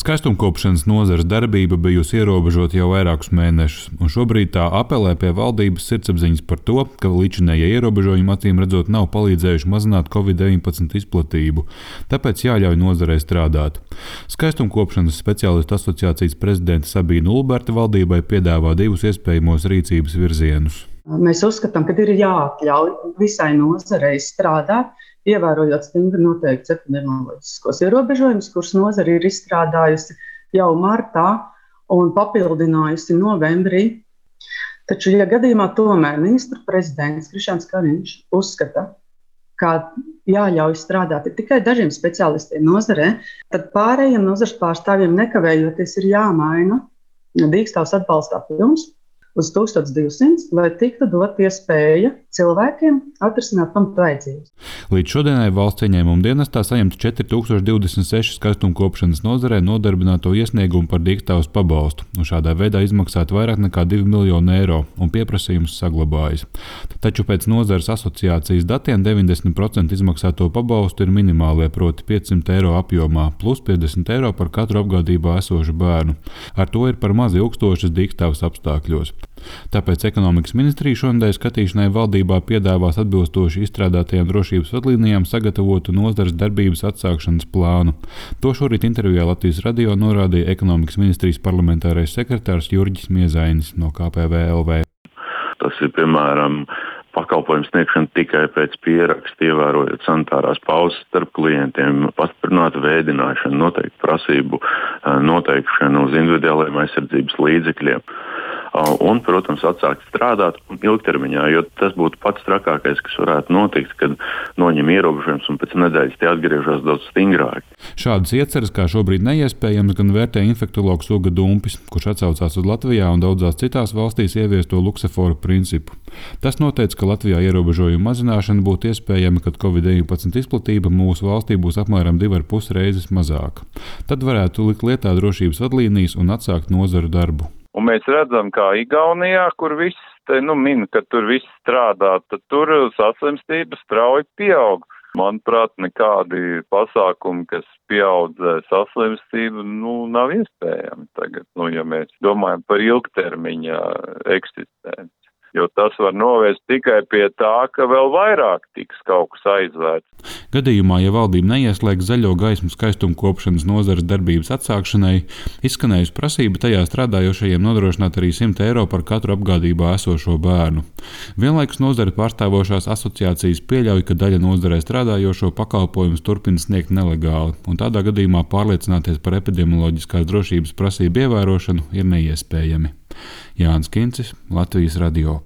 Skaistumkopšanas nozares darbība bijusi ierobežota jau vairākus mēnešus, un šobrīd tā apelē pie valdības sirdsapziņas par to, ka līdzinējie ierobežojumi acīm redzot nav palīdzējuši mazināt Covid-19 izplatību, tāpēc jāļauj nozarei strādāt. Skaistumkopšanas speciālistu asociācijas prezidente Sabīna Ulberta valdībai piedāvā divus iespējamos rīcības virzienus. Mēs uzskatām, ka ir jāatļauj visai nozarei strādāt, ievērojot stingri noteikts epidemioloģiskos ierobežojumus, kurus nozare ir izstrādājusi jau martā un papildinājusi novembrī. Taču, ja gadījumā tomēr ministra prezidents Krišjāns Kariņš uzskata, ka jāļauj strādāt tikai dažiem speciālistiem nozarē, tad pārējiem nozares pārstāvjiem nekavējoties ir jāmaina dīkstāvs atbalsta apjoms uz 1200, lai tiktu dot iespēja cilvēkiem atrisināt pamatvajadzības. Līdz šodienai valsts ieņēmuma dienestā saņemta 4026 skaistumkopšanas nozarē nodarbināto iesniegumu par dīkstāvs pabalstu, un šādā veidā izmaksāt vairāk nekā 2 miljonu eiro, un pieprasījums saglabājas. Taču pēc nozares asociācijas datiem 90% izmaksāto pabalstu ir minimālie, proti 500 eiro apjomā, plus 50 eiro par katru apgādībā esošu bērnu. Ar to ir par maz ilgstošas dīkstāvs apstākļos. Tāpēc ekonomikas ministrija šonedēļ skatīšanai valdībā piedāvās atbilstoši izstrādātajām drošības vadlīnijām sagatavotu nozares darbības atsākšanas plānu. To šorīt intervijā Latvijas radio norādīja ekonomikas ministrijas parlamentārais sekretārs Jurģis Miezainis no KPVLV. Tas ir, piemēram, pakalpojumu sniegšana tikai pēc pieraksta, ievērojot sanitārās pauzes starp klientiem, pastiprināta vēdināšana, noteikti prasību noteikšana uz individuālajiem aizsardzības līdzekļiem. Un, protams, atsākt strādāt ilgtermiņā, jo tas būtu pats trakākais, kas varētu notikt, kad noņem ierobežojums un pēc nedēļas tie atgriežas daudz stingrāk. Šādas ieceres kā šobrīd neiespējams gan vērtē infektologs Uga Dumpis, kurš atsaucās uz Latvijā un daudzās citās valstīs ieviesto lukseforu principu. Tas noteica, ka Latvijā ierobežojumu mazināšana būtu iespējama, kad Covid-19 izplatība mūsu valstī būs apmēram 2,5 reizes mazāka. Tad varētu likt lietā drošības vadlīnijas un atsākt nozaru darbu. Un mēs redzam, kā Igaunijā, kur viss min, ka tur viss strādā, tad tur saslimstības strauji pieaug. Manuprāt, nekādi pasākumi, kas pieaudzē saslimstību, nav iespējami tagad, ja mēs domājam par ilgtermiņa eksistenci. Jo tas var novest tikai pie tā, ka vēl vairāk tiks kaut kas aizvērts. Gadījumā, ja valdība neieslēgs zaļo gaismu skaistumkopšanas nozares darbības atsākšanai, izskanējusi prasība tajā strādājošajiem nodrošināt arī 100 eiro par katru apgādībā esošo bērnu. Vienlaikus nozare pārstāvošās asociācijas pieļauj, ka daļa nozarē strādājošo pakalpojumus turpina sniegt nelegāli, un tādā gadījumā pārliecināties par epidemioloģiskās drošības prasību ievērošanu ir neiespējami. Jānis Kincis, Latvijas radio.